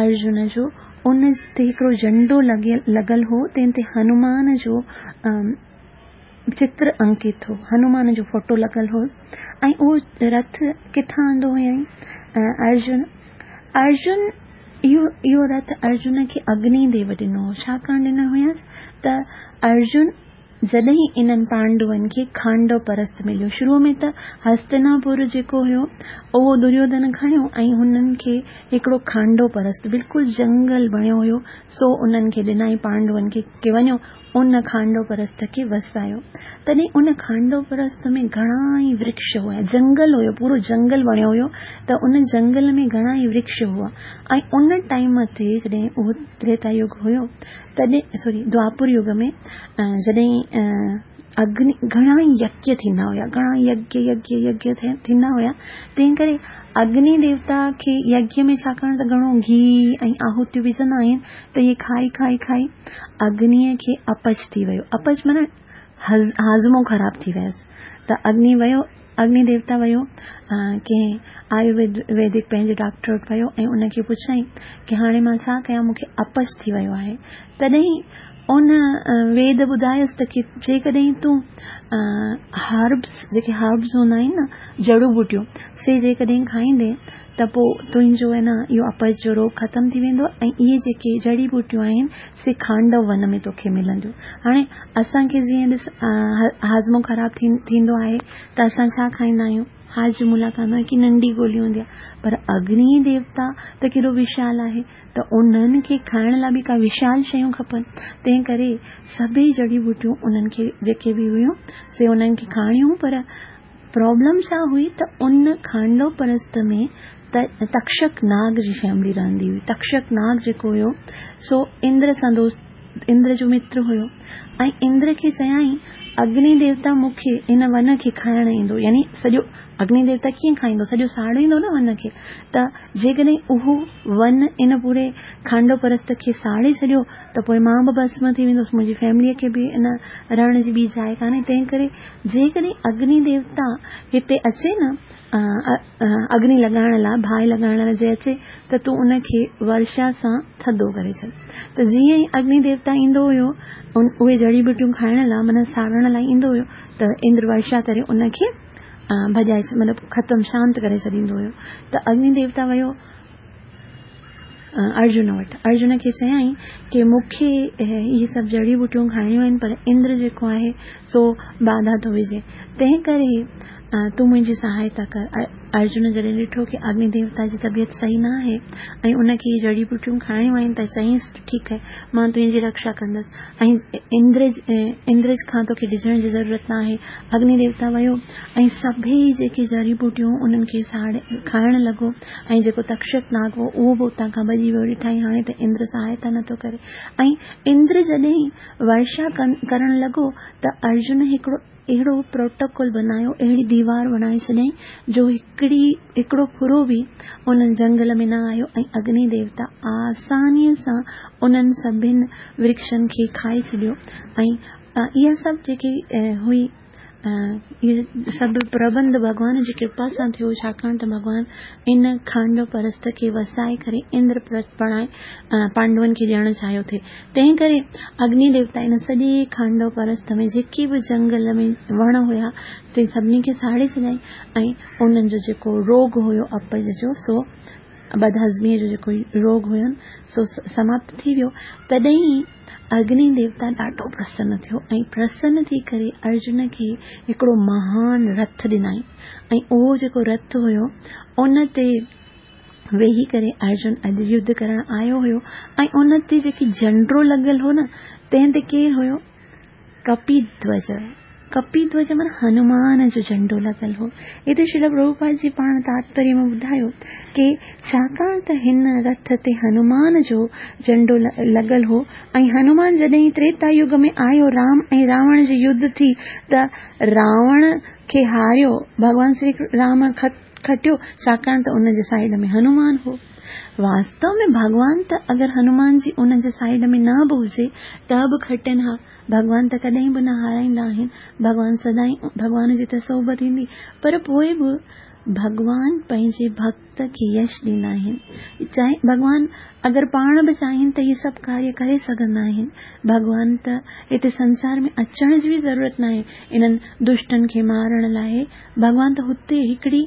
ارجن جو ان تي هڪڙو جهنڊو لڳل هو تنهن تي هنومان جو چتر انڪت هو، هنومان جو فوٽو لڳل هو ۽ اهو رٿ ڪٿان آندو هيائين ارجن. ارجن اهو اهو رٿ ارجن کي اگني ديو ڏنو هو. ڇاڪاڻ ڏنو هيس ته ارجن جڏهن انهن پانڊون کي کانڊو پرست مليو، شروع ۾ ته هستناپور جيڪو هيو اهو دريوڌن کڻيو ۽ هنن کي هڪڙو کانڊو پرست بلڪل جنگل بڻيو هيو سو انهن کي ڏنائين پانڊون کي ڪي وڃو ان کانڊو پرست کي وسايو. تڏهن ان کانڊو پرست ۾ گهڻا ئي ورڪش هئا، جنگل هيو، پورو جنگل بڻيو هيو ته ان جنگل ۾ گهڻا ئي ورڪش هئا ۽ ان ٽائيم تي جڏهن اهو تريتا يگ هيو تڏهن سوري دوآپر يگ ۾ جڏهن اگني گهڻا ئي يگيه ٿيندا هيا، گهڻا يگيه يگيه يگيه ٿيندا هيا، تنهن ڪري اگني ديوتا کي يگيه ۾ ڇاڪاڻ ته گهڻو گيهه ۽ آهوتيون وجهندا آهن ته اهي کائي کائي کائي اگنيء کي اپچ ٿي ويو. اپچ معنيٰ هاضمو خراب ٿي ويس ته اگني ويو اگني ديوتا ويو ڪنهن آيورويدڪ پنهنجي ڊاڪٽر وٽ ويو ۽ ان کي پڇيائين ڪي هاڻي مان ڇا ڪيان مون کي اپچ ٿي ويو آهي. تڏهن ان ويد ٻڌايس ته ڪي جيڪڏهن تون هربس جيڪي هربس هوندا آهن نه جڙون ٻوٽيون سي جيڪڏهن کائيندين ته پوءِ تنهنجو آهي نه اهو اپچ جو روڳ ختم ٿي ويندو ۽ اهي جيڪي جڙي ٻوٽيون آهن سي کانڊو ون ۾ توکي ملنديون. هاڻي اسان کي جيئن ڏس هاضمو خراب ٿيندو آهي ته اسان ڇا کائيندا آهيون؟ هاجمولا کائيندا آهيون، ڪي ننڍي گولي هوندي آهي، پر اگني ديوتا ته ڪيڏو وشال آهي ته انهن کي کائڻ لاءِ به ڪا وشال شيون کپن، تنهن ڪري سڀئي جڙي ٻوٽيون انهن کي جيڪي به هيون سي انهن کي کائڻيون. پر پرابلم ڇا هئي ته ان کانڊو پرست ۾ تڪشڪ ناگ جي فيملي رهندي هئي. تڪشڪ ناگ جيڪو هيو سو اندر سان دوست اندر جو متر هيو ۽ اندر کي چيائين اگني ديوتا مون کي ان ون کي کائڻ ايندو، يعني سڄو اگني ديوتا ڪيئن کائيندو، سڄو ساڙيندو نه ون کي، ته جيڪڏهن اهو ون ان پوري کانڊو پرست کي ساڙي ڇڏيو ته پوءِ مان به ڀسم ٿي ويندس، منهنجي فيمليءَ کي به ان رهڻ جي ٻي جاءِ ڪانهي، تنهن ڪري جيڪڏهن اگني ديوتا هتي اچي نه اگني لڳائڻ لاءِ باهه لڳائڻ لاءِ جي اچي ته تون ان کي ورشا سان ٿڌو ڪري ڇڏ. ته جيئن ئي اگني ديوتا ايندو هيو اهي جڙي ٻوٽيون کائڻ لاءِ معنيٰ ساڙڻ لاءِ ايندو هيو ته اندر ورشا ڪري ان کي ڀڄائي مطلب ختم شانت ڪري ڇڏيندو هيو. ته اگني ديوتا ويو ارجن وٽ، ارجن کي چيائين ڪي مون کي اهي سڀ جڙي ٻوٽيون کائڻيون آهن پر اندر جيڪو آهي سو باڌا ٿو وجهي، تنهن ڪري تون منهنجي سهائتا ڪر. ارجن جڏهن ڏٺو ڪه اگني ديوتا جي طبيعت صحيح نه آهي ۽ ان کي اهي جڙي ٻوٽيون کائڻيون آهن ته چيائينس ٺيڪ آهي، مان تنهنجي رڪشا ڪندس ۽ اندر اندر کان توکي ڊڄڻ جي ضرورت نه آهي. اگني ديوتا ويو ۽ سڀئي جيڪي جڙي ٻوٽيون انهن کي ساڙي کائڻ لڳو ۽ جيڪو تڪشڪ ناگ هو اهو به اتان کان ڀڄي ويو. ڏٺائين هاڻي ته اندر سهائتا نٿو ڪري. ۽ اندر جڏهن ورشا ڪرڻ لڳو ته ارجن هڪڙو اهڙو پروٽوڪول بنايو، اهڙي ديوار بڻائي ڇڏيائين جو هڪڙي هڪڙو ڦرو به ان جنگل ۾ نه آيو ۽ اگني ديوتا آسانيء سان انهن سڀني ورڪشن کي کائي ڇڏيو. ۽ اها سڀ جيڪي هئي اهي سڀ پربنڌ ڀڳوان جي ڪرپا سان ٿيو، ڇاڪاڻ ته ڀڳوان ان کانڊو پرست کي وسائي ڪري اندر پرست بڻائي پانڊون کي ڏيڻ چاهيو ٿي. تنهن ڪري اگني ديوتا ان سڄي کانڊو پرست ۾ جيڪي به جنگل ۾ وڻ هيا تن سڀني کي ساڙي ڇڏيائين ۽ انهن جو جيڪو روڳ هيو اپج جو، سو بدهضميء جو جيڪو روڳ هين سو سماپت ٿي ويو. تڏهن اگني ديوتا ڏاڍو پرسن ٿيو ۽ پرسن ٿي ڪري ارجن کي هڪڙو مهان رٿ ڏنائين ۽ اهو جيڪو رٿ هيو ان تي ويهي ڪري ارجن اڄ يڌ ڪرڻ آيو هيو. ۽ ان تي جيڪي جهنڊو لڳل هو نه، تنهن تي ڪير هيو؟ ڪپيڌوج. ڪپيڌوج معنيٰ هنومان جو جهنڊو لڳل هو. هتي شريل پرڀوپاد جي پاڻ تاتپريه ۾ ٻڌايو ڪه ڇاڪاڻ ته هن رٿ تي هنومان جو جهنڊو لڳل هو ۽ هنومان جڏهن تريتا يگ ۾ آيو، رام ۽ راوڻ جي يڌ ٿي ته راوڻ کي هاريو، ڀڳوان شري رام کٽيو، ڇاڪاڻ ته ان جي سائيڊ ۾ هنومان هو. واستو ۾ ڀڳوان ته اگر هنومان جي ان جي سائيڊ ۾ نه به هجي ته به کٽن ها. ڀڳوان ته ڪڏهن به نه هارائيندا آهن، ڀڳوان سدائين ڀڳوان جي ته صحبت ايندي، پر پوءِ به ڀڳوان پنهنجي ڀڪت کي يش ڏيندا آهن. چاهي ڀڳوان اگر پاڻ به چاهين ته اهي سڀ ڪاريه ڪري سگهندا آهن. ڀڳوان ته هتي سنسار ۾ اچڻ جي به ضرورت نه آهي انهن دشٽن کي مارڻ لاءِ. ڀڳوان ته هتي هڪڙي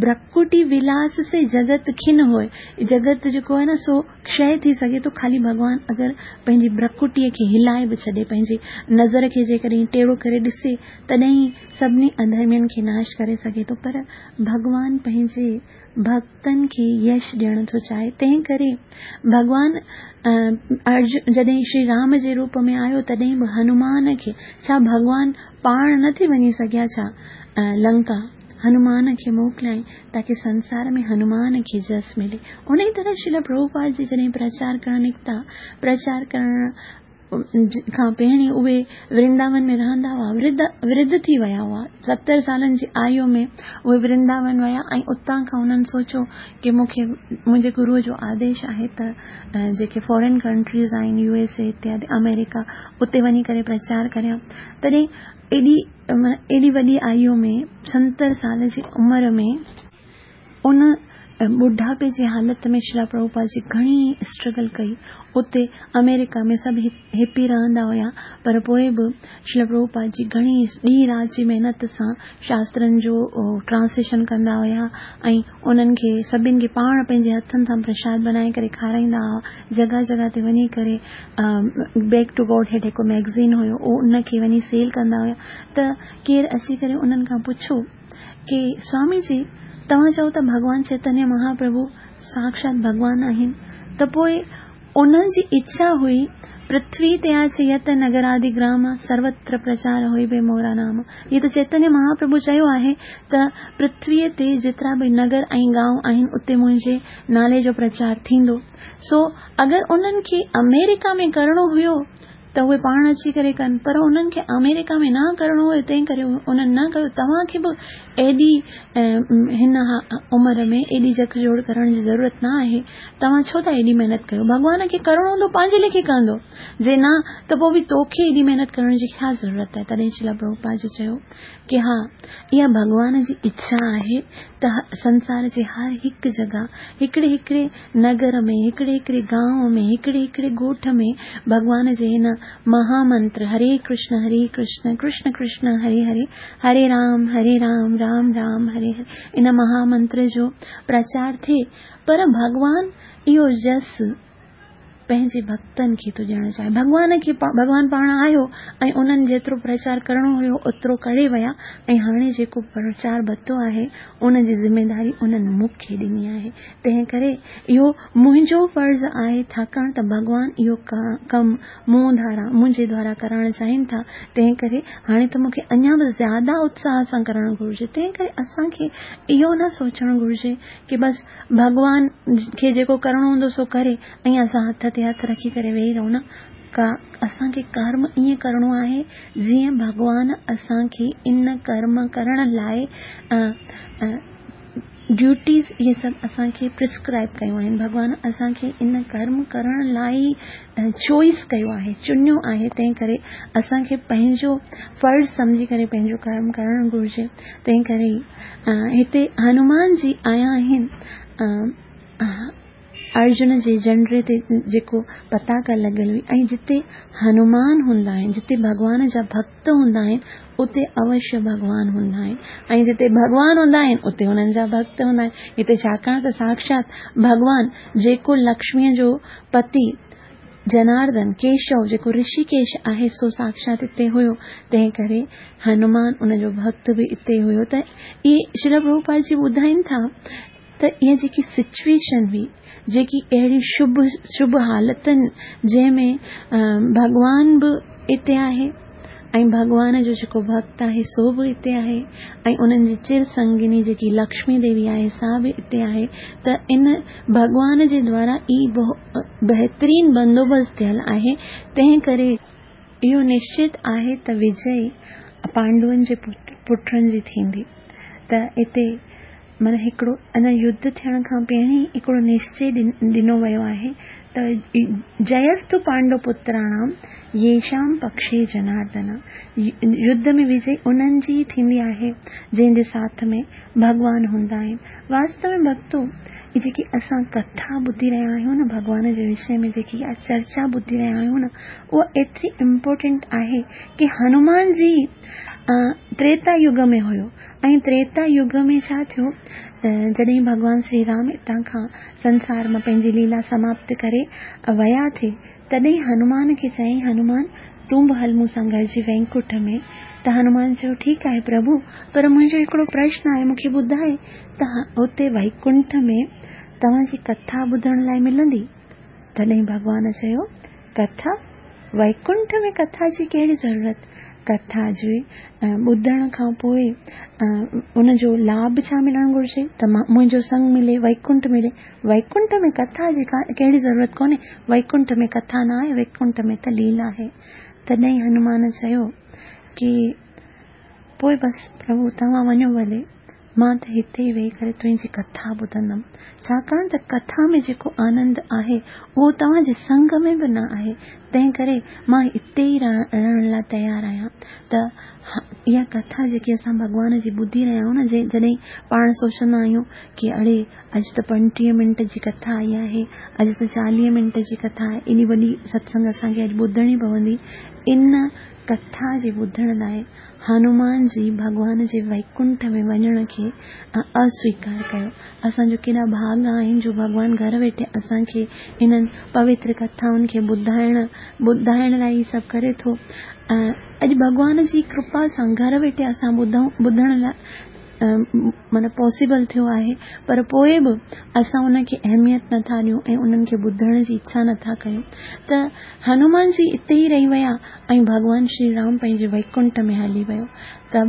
برڪٽي ولاس سي جگت کن هوئي، جگت جيڪو آهي نه سو ڪشي ٿي سگهي ٿو، خالي ڀڳوان اگر پنهنجي برڪٽيءَ کي هلائي به ڇڏي، پنهنجي نظر کي جيڪڏهن ٽيڙو ڪري ڏسي، تڏهن سڀني اڌرمين کي ناش ڪري سگهي ٿو. پر ڀڳوان پنهنجي ڀڪتن کي يش ڏيڻ ٿو چاهي. تنهن ڪري ڀڳوان ارجن جڏهن شري رام جي روپ ۾ آيو تڏهن به هنومان کي، ڇا ڀڳوان پاڻ نه ٿي وڃي سگهيا ڇا لنڪا؟ هنومان کي موڪليائين تاڪه سنسار ۾ هنومان کي جس ملي. ان ئي طرح شريل پرڀوپاد جي جڏهن پرچار ڪرڻ نڪتا، پرچار ڪرڻ کان پهرين اهي ورنداون ۾ رهندا هئا، ورڌ ٿي ويا هئا. ستر سالن جي آيو ۾ اهي ورنداون ويا ۽ اتان کان انهن سوچيو ڪه مون کي منهنجي گروءَ جو آديش آهي ته جيڪي فارين ڪنٽريز آهن، يو ايس اي اتيادي، آمريڪا، اتي وڃي ڪري پرچار ڪريان. تڏهن ايڏي ايڏي وڏي آيو ۾ ستر سال جي عمر ۾ ان ٻڍاپي جي حالت ۾ شريل پرڀوپاد جي گهڻي اسٽرگل ڪئي. اتي آمريڪا ۾ سڀ هپي رهندا هئا، پر پوءِ به شريل پرڀوپاد جي گهڻي ڏينهن رات جي محنت سان شاسترن جو ٽرانسليشن ڪندا هئا ۽ انهن کي سڀني کي پاڻ پنهنجي هٿن سان پرشاد بڻائي ڪري کارائيندا هئا. جڳهه جڳهه تي وڃي ڪري بيڪ ٽو گاڊ هيڊ هڪ ميگزين هيو، اهو ان کي وڃي سيل ڪندا هئا. ته ڪير اچي ڪري انهن کان پڇيو ڪه سوامي جي، توهان چئو ته ڀڳوان چيتنيه مهاپرڀو ساڪشات ڀڳوان آهن، ته پوءِ انهن جي اڇا هئي پرٿوي تي آچ يت نگرادي گرام سروتر پرچار هوئي بي مورا نام. هيءَ ته چيتنيه مهاپرڀو چيو آهي ته پرٿويءَ تي جيترا به نگر ۽ گانو آهن اتي منهنجي نالي جو پرچار ٿيندو. سو اگر انهن کي آمريڪا ۾ ڪرڻو هيو ته اهي پاڻ اچي ڪري ڪن، پر انهن کي آمريڪا ۾ نه ڪرڻو هيو تنهن ڪري انهن نه ڪيو. توهان کي به ايڏي هن عمر ۾ ايڏي جکجوڙ ڪرڻ جي ضرورت نه آهي، توهان ڇو ٿا ايڏي محنت ڪيو؟ ڀڳوان کي ڪرڻو هوندو پنهنجي ليکي ڪندو، جي نه ته پوءِ به توکي ايڏي محنت ڪرڻ جي ڇا ضرورت آهي؟ تڏهن شريل پرڀوپاد جي چيو ڪه ها، اها ڀڳوان جي اڇا آهي ته سنسار جي هر هڪ جڳهه، هڪڙي هڪڙي نگر ۾، هڪڙي هڪڙي گانو ۾، هڪڙي هڪڙي ڳوٺ ۾ ڀڳوان جي هن مهامنتر هري ڪرشن هري ڪرشن ڪرشن ڪرشن هري هري هري رام هري رام رام رام هري هري ان مهامنتر جو پرچار ٿئي. پر ڀڳوان اهو جس پنهنجي ڀڳتن کي ٿو ڏيڻ چاهي. ڀڳوان کي ڀڳوان پاڻ آيو ۽ انهن جيترو پرچار ڪرڻو هيو اوترو ڪري ويا ۽ هاڻي جيڪو پرچار ورتو آهي ان جي ذميداري انهن مون کي ڏني آهي. تنهن ڪري اهو منهنجو فرض آهي، ڇاڪاڻ ته ڀڳوان اهو ڪم مون ڌارا منهنجي دوارا ڪرائڻ چاهين ٿا، تنهن ڪري هاڻي ته مون کي اڃا به زياده اتساهه سان ڪرڻ گهرجي. تنهن ڪري اسان کي اهو نه سوچڻ گهرجي ڪه بس ڀڳوان کي جيڪو ڪرڻو هوندو سو ڪري ۽ اسان هٿ تي هٿ رکي ڪري ويهي رهون. نه، ڪا اسان کي ڪرم ائين ڪرڻو آهي جيئن ڀڳوان اسان کي ان ڪرم ڪرڻ لاءِ ڊيوٽيز اهي سڀ اسان کي پرسڪرائب ڪيون آهن. ڀڳوان اسان کي ان ڪرم ڪرڻ لاءِ ئي چوائس ڪيو آهي، چنيو آهي. تنهن ڪري اسان کي پنهنجو فرض سمجهي ڪري پنهنجو ڪرم ڪرڻ گهرجي. تنهن ڪري هتي هنومان جي آيا آهن ارجن جي جنڊي تي جيڪو پتاڪا لڳل هئي، ۽ جتي هنومان هوندا آهن، جتي ڀڳوان جا ڀڳت هوندا آهن، اتي اوشيه ڀڳوان هوندا آهن، ۽ جتي ڀڳوان هوندا آهن اتي هنن جا ڀڳت هوندا آهن. هتي ڇاڪاڻ ته ساڪشات ڀڳوان جيڪو لڪشميءَ جو پتي جناردن ڪيشو جيڪو رشيڪيش آهي سو ساڪشات هتي هيو، تنهن ڪري هنومان ان جو ڀڳت به هتي هيو. ته اهي شريل پرڀوپاد جي ٻڌائين ٿا ته اها جيڪي سچوئيشن هئي، جيڪي اهڙي شڀ شڀ حالتن جنهن ۾ ڀڳوان به هتي آهي ۽ ڀڳوان جو جيڪو ڀڳت آهي سو به هتي آهي ۽ انهن جي چر سنگني جيڪي لڪشمي ديوي آهي سا به هتي آهي، ته ان ڀڳوان جي دوارا ئي بهترين بندوبست ٿيل آهي. تنهن ڪري اهو نشچت آهي ته وجي پانڊون جي پٽن جي ٿيندي. ته هتي معنيٰ هڪڙو اڃا يڌ ٿيڻ کان پهرين هڪڙو نشچي ڏنو ويو آهي ته جيستو پانڊو پتراڻام ييشام پڪشي جناردن، يڌ ۾ وجي انهن جي ٿيندي آهي جنهن جي ساٿ ۾ ڀڳوان هوندا آهن. واستو ۾ ڀڳتو اهي جيڪي اسان ڪٿا ٻڌي رهيا آهيون نه، ڀڳوان جي وشي ۾ جيڪي اها چرچا ٻڌي رهيا آهيون نه، اها ايتري امپورٽنٽ آهي ڪه هنومان جي تريتا يگ ۾ هيو ۽ تريتا يگ ۾ ڇا ٿيو ته جڏهن ڀڳوان شري رام هتان کان سنسار مان پنهنجي ليلا سماپت ڪري ويا ٿي، تڏهن هنومان کي چيائين، هنومان تون به هل مون سان گڏجي ويڪنٺ ۾. ته هنومان چيو ٺيڪ آهي پرڀو، پر منهنجو هڪڙو پرشن آهي، مون کي ٻڌائي ته هتي ويڪنٺ ۾ توهان جي ڪٿا ٻڌڻ لاءِ ملندي؟ تڏهن ڀڳوان چيو، ڪٿا؟ ويڪنٺ ۾ ڪٿا جي ڪهڙي ضرورت؟ ڪٿا جي ٻڌڻ کان پوءِ ان جو لاڀ ڇا ملڻ گهرجي؟ ته منهنجو سنگ ملي، ويڪنٺ ملي. ويڪنٺ ۾ ڪٿا جي ڪهڙي ضرورت ڪونهي، ويڪنٺ ۾ ڪٿا نه آهي، ويڪنٺ ۾ ته ليلا آهي. تڏهن هنومان چيو ڪه پوءِ بس پرڀو توهان وڃو ڀلي، مان ته هتي ئي ويهي ڪري تنهنجي ڪٿا ٻڌندم، ڇاڪاڻ ته ڪٿا ۾ جيڪو آنند آهي اهو توهان جي سنگ ۾ به نه آهي، تنهن ڪري مان هتي ئي رهڻ لاءِ تيار آهيان. ته اها ڪٿا جيڪي اسان ڀڳوان جي ٻڌي رهيا آهيون نه، جڏهن پاڻ سوچندا آهيون ڪه اڙي اڄ ته پنجٽيهه منٽ جي ڪٿا آئي آهي، اڄ ته چاليهه منٽ جي ڪٿا آهي، ايڏي وڏي ستسنگ اسان کي اڄ ٻڌڻي پوندي. ان ڪٿا جي ٻڌڻ لاءِ هنومان جي ڀڳوان جي ويڪنٺ ۾ وڃڻ کي اسويڪار ڪيو. اسان جو ڪيڏا ڀاڳ آهن جو ڀڳوان گهر ويٺي اسان کي انهن پوتر ڪٿائن کي ٻڌائڻ ٻڌائڻ لاءِ ئي سڀ ڪري ٿو. اڄ ڀڳوان جي ڪرپا سان گهر ويٺي اسان ٻڌون ٻڌڻ لاءِ معنيٰ پاسيبل ٿيو آهي، پر پوءِ به اسان ان کي اهميت نٿا ڏيون ۽ انهن کي ٻڌڻ جي اڇا نٿا ڪيون. ته هنومان جي اتي ئي رهي ويا ۽ ڀڳوان شري رام پنهنجي ويڪنٺ ۾ هلي ويو. ته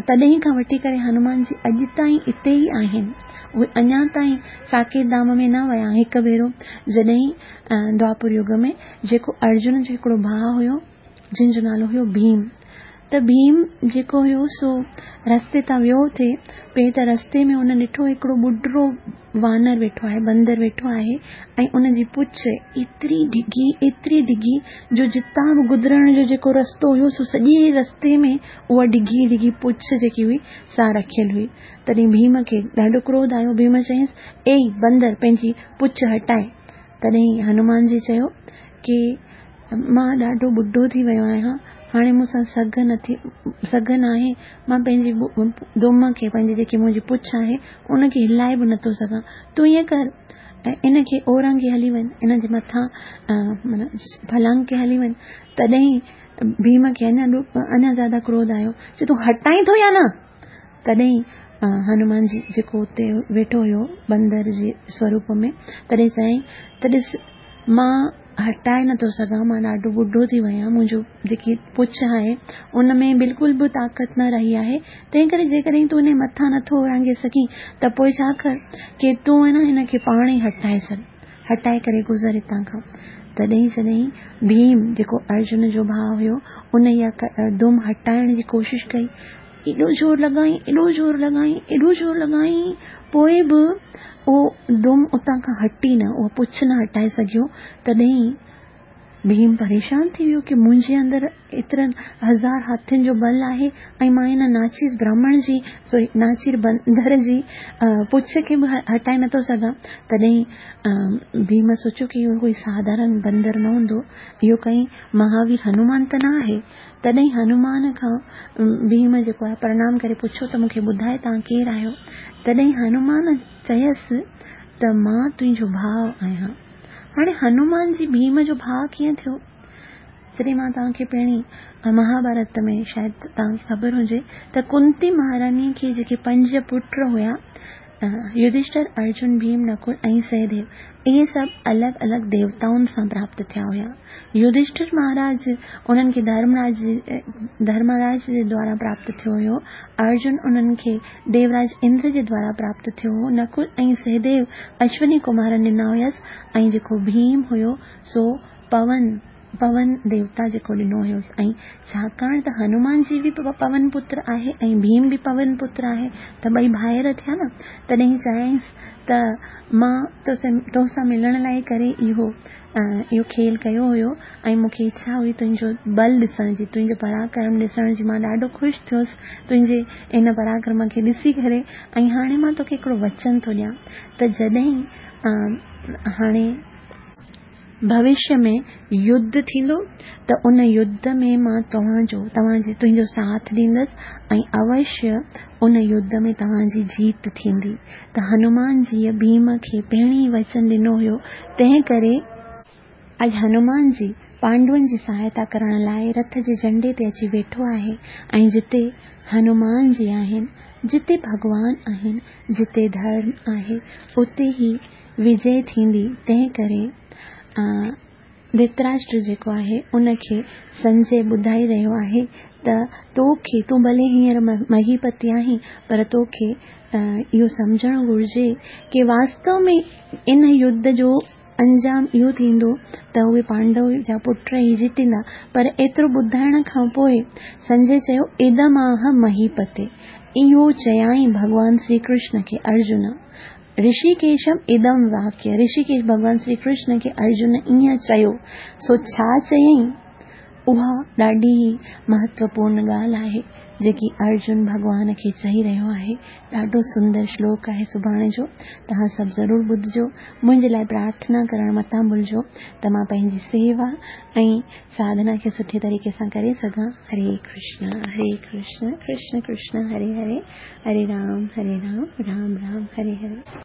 تڏهن کان وٺي ڪري هنومان جي اڄ تائين اتي ئي آهن، اهي اڃا تائين ساڪيت ڌام ۾ نه ويا. هڪ ڀيرو جڏهن دواپر يگ ۾ جيڪو ارجن جو هڪڙو ڀاءُ هيو جنهن جو نالو هيو ڀيم، ته ڀيم جيڪو هيو سو رستي تان ويو ٿي پئي، ته رستي ۾ هن ڏٺو هڪڙو ٻڍڙو وانر ويٺو آهي، بندر ويٺو آهي ۽ ان جي پڇ ايتري ڊگهي ايتري ڊگهي جو جتان به گذرڻ جو جيڪو رستو هيو سو سڄي رستي ۾ اها ڊگهي ڊگهي پڇ جيڪي هئي سا رکيل هئي. تڏهن ڀيم کي ڏاڍو ڪروڌ آيو. ڀيم چيائينس، اي بندر پنهنجي پڇ هٽائي. تڏهن هنومان جي چيو ڪه مان ڏاڍو ٻڍو ٿي ويو آهيان، هاڻي مون سان سگهه نٿي سگهه نه آهي، مان پنهنجي دم کي پنهنجي جيڪي منهنجي پڇ آهي ان کي هلائي به نٿو سگهان. تون ائين ڪر، ان کي اورانگهي هلي وڃ، ان جي مٿان معنيٰ ڦلانگ کي هلي وڃ. تڏهن ڀيم کي اڃا اڃا زياده ڪروڌ آيو، چي تون هٽائين ٿو يا نه؟ تڏهن هنومان جي جيڪو اتي ويٺو هيو بندر جي سوروپ ۾، تڏهن چيائين ته ڏس مان هٽائي نٿو سگهان، مان ڏاڍو ٻڍو ٿي ويو آهيان، منهنجو جيڪي پڇ آهي ان ۾ بلڪل به طاقت نه رهي آهي، تنهن ڪري جيڪڏهن تون ان مٿان نٿو اورانگهي سگهين ته پوءِ ڇا ڪر ڪي تون نه هن کي پاڻ ئي هٽائي ڇڏ، هٽائي ڪري گذر هتان کان. تڏهن جڏهن ڀيم جيڪو ارجن جو ڀاءُ هيو ان اها دم هٽائڻ جي ڪوشش ڪئي، ايڏو زور لڳائين، ايڏو زور لڳائين، ايڏو زور لڳائين، پوءِ به اهو دم اتان کان هٽي نه، اها پڇ نه هٽائي سگهيو. تڏهن ڀيم پريشان ٿي ويو ڪه منهنجي اندر ايترن هزار هاٿين جو بل آهي ۽ مان هن ناچيز براهمڻ جي سوري ناچير بندر جي پڇ کي به هٽائي نٿو سگهان. تڏهن ڀيم سوچيو ڪه اهو ڪوئي ساڌارڻ بندر نه هوندو، اهو ڪائي مهاوير هنومان ته نه آهي. تڏهن هنومان کان ڀيم جيڪو آهي پرڻام ڪري پڇيو ته مون کي ٻڌائي توهان ڪير آهيو؟ تڏهن هنومان چيس ته مان تنهنجو ڀاءُ آهيان. هاڻي هنومان جي ڀيم جو ڀاءُ ڪيئن ٿيو؟ جڏهن مان توهان کي پهرين مهاڀارت ۾ شايد توهان کي خبر هجي ته ڪنتي مهاراڻيءَ کي جيڪي پنج پٽ هئا، يڌشٺر، ارجن، ڀيم، نڪل ۽ سهديو، اهي سڀ الڳ الڳ ديوتائن سان پراپت ٿيا هئا. يڌشٺر مهاراج انهن کي ڌرمراج ڌرمراج جي دوارا پراپت ٿيو هيو، ارجن انهن کي ديوراج اندر جي دوارا پراپت ٿيو هو، نڪل ۽ سهديو اشوني ڪمارن ڏنا هيس، ۽ جيڪو ڀيم هيو سو پون پون ديوتا جيڪو ڏنو هيس. ۽ ڇاڪاڻ ته هنومان جي به پون پتر آهي ۽ ڀيم به پون پتر آهي ته ٻئي ڀائر ٿيا نه. تڏهن چيائينس ته مان تو سان ملڻ لاءِ ڪري اهو اهو کيل ڪيو هيو ۽ مون کي اڇا هئي تنهنجو بل ڏسڻ جي، تنهنجو پراڪرم ڏسڻ جي. مان ڏاڍو خوش ٿيس تنهنجي ان پراڪرم کي ڏسي ڪري ۽ هاڻي مان توکي هڪڙو وچن ٿو ڏيان ته جڏهن هاڻي ڀوشيه ۾ يڌ ٿيندو ته ان يڌ ۾ مان توهان جو توهان جي تنهنجو ساٿ ڏيندس ۽ اوشيه ان يڌ ۾ توهان جي جيت ٿيندي. ته هنومان جيءَ ڀيم کي پهرين ئي وچن ڏنو هيو، تنهن ڪري اڄ هنومان جي پانڊون جي سهائتا ڪرڻ لاءِ رٿ جي جهنڊي تي اچي ويٺو آهي. ۽ جتي هنومان جي آهن، جتي ڀڳوان آهن، جتي ڌرم آهي، اتي ئي وجي ٿيندي. تنهن ڪري ڌرتراشٽر جيڪو آهي ان کي سنجي ٻڌائي رهيو آهي ته توکي تون ڀلي هينئر مهيپتي آهين پر توکي اهو سمجهڻ گهرجي ڪه واستو ۾ ان يڌ جو انجام اهو ٿيندو ته اهي پانڊو جا پٽ ئي جيتيندا. پر ايترو ٻڌائڻ کان پوءِ سنجي چيو ادماهه مهيپتي، اهو چيائين ڀڳوان شري ڪرشن کي ارجن. رشيڪيشم ادم واڪيه، رشيڪيش ڀڳوان شري ڪرشن کي ارجن ائين چيو. سو ڇا چيائين؟ اها ڏاڍي ئي مهتوپورڻ ڳالهه آهي جيڪي ارجن ڀڳوان کي چئي رهيو آهي. ڏاڍو سندر شلوڪ آهي سڀاڻي جو، توهان سڀ ضرور ٻڌجو. منهنجي لاءِ پرارٿنا ڪرڻ متان ڀلجو ته مان پنهنجي سيوا ۽ ساڌنا کي سٺي طريقي سان ڪري سگهان. هري ڪرشن هري ڪرشن ڪرشن ڪرشن هري هري، هري رام هري رام رام رام هري هري.